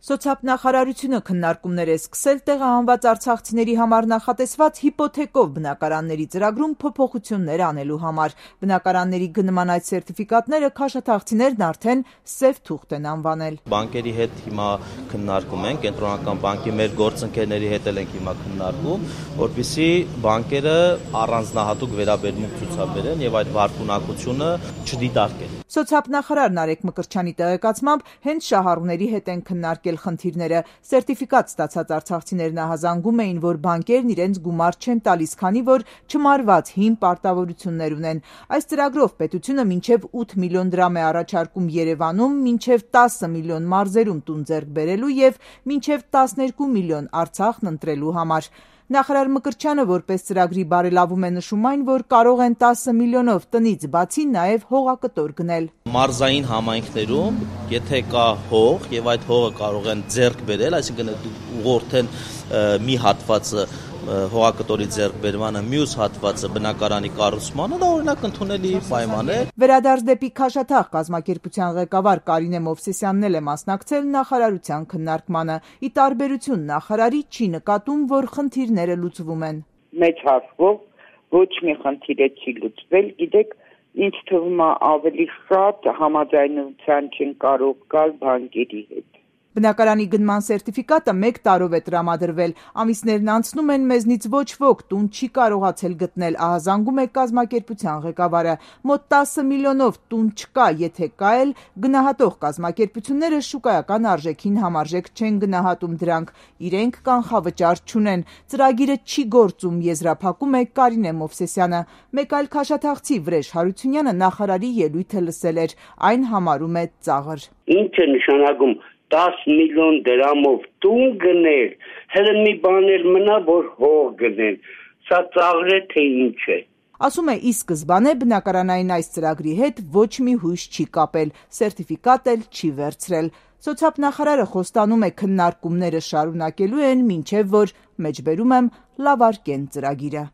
Սոցիալնախարարությունը քննարկումներ է սկսել տեղահանված արցախցիների համար նախատեսված հիպոթեկով բնակարանների ծրագրում փոփոխություններ անելու համար։ Բնակարանների գնման այդ սերտիֆիկատները քաշաթաղցիներն արդեն սև թուղթ են անվանել։ Բանկերի հետ հիմա քննարկում ենք, կենտրոնական բանկի մեր գործընկերների հետ ենք հիմա քննարկում, որպեսզի բանկերը առանձնահատուկ վերաբերմունք ցուցաբերեն եւ այդ վարկունակությունը չդիտարկեն։ Սոցիալնախարար Նարեկ Մկրտչյանի տեղեկացմամբ հենց շահառուների հետ են քննարկել խնդիրները։ Սերտիֆիկատ ստացած արցախցիներն ահազանգում էին, որ բանկերն իրենց գումար չեն տալիս, քանի որ չմարված հին պարտավորություններ ունեն։ Այս ծրագրով պետությունը մինչև 8 միլիոն դրամ է առաջարկում Երևանում, մինչև 10 միլիոն մարզերում տուն ձեռք բերելու եւ մինչև 12 միլիոն Արցախն ընտրելու համար։ Նախարար Մկրտչյանը որպես ծրագրի բարելավում է նշում այն, որ կարող են 10 միլիոնով տնից բացի նաև հողակտոր գնել։ Մարզային համայնքներում, եթե կա հող եւ այդ հողը կարող են ձեռք բերել, այսինքն ուղղորդեն մի հատվածը հողակտորի ձեռքբերմանը, մյուս հատվածը բնակարանի կառուցմանը, դա օրինակ ընդունելի պայման է։ Վերադարձ դեպի Քաշաթաղ կազմակերպության ղեկավար Կարինե Մովսեսյանն էլ է մասնակցել նախարարության քննարկմանը։ Ի տարբերություն նախարարի չի նկատում, որ խնդիրները լուծվում են։ Մեծ հաշվով ոչ մի խնդիր չի լուծվել, գիտեք, ինձ թվում է ավելի շատ համաձայնության չեն կարող գալ բանկերի հետ։ Բնակարանի գնման սերտիֆիկատը 1 տարով է տրամադրվել, ամիսներն անցնում են, մեզնից ոչ ոք տուն չի կարողացել գտնել, ահազանգում է կազմակերպության ղեկավարը։ Մոտ 10 միլիոնով տուն չկա, եթե կա էլ, գնահատող կազմակերպությունները շուկայական արժեքին համարժեք չեն գնահատում դրանք, իրենք կանխավճար չունեն։ Ծրագիրը չի գործում, եզրափակում է Կարինե Մովսեսյանը։ Մեկ այլ քաշաթաղցի Վրեժ Հարությունյանը նախարարի ելույթը լսել էր, այն համարում է ծաղր։ Ինչ է նշանակում 10 միլիոն դրամով տուն գնել, հələ մի բան էլ մնա, որ հող գնեն, սա ծաղր է թե ինչ է։ Ասում է, ի սկզբանե բնակարանային այս ծրագրի հետ ոչ մի հույս չի կապել, սերտիֆիկատ էլ չի վերցրել։ Սոցիալնախարարը խոստանում է քննարկումները շարունակելու են, մինչև որ, մեջբերում եմ, լավարկեն ծրագիրը։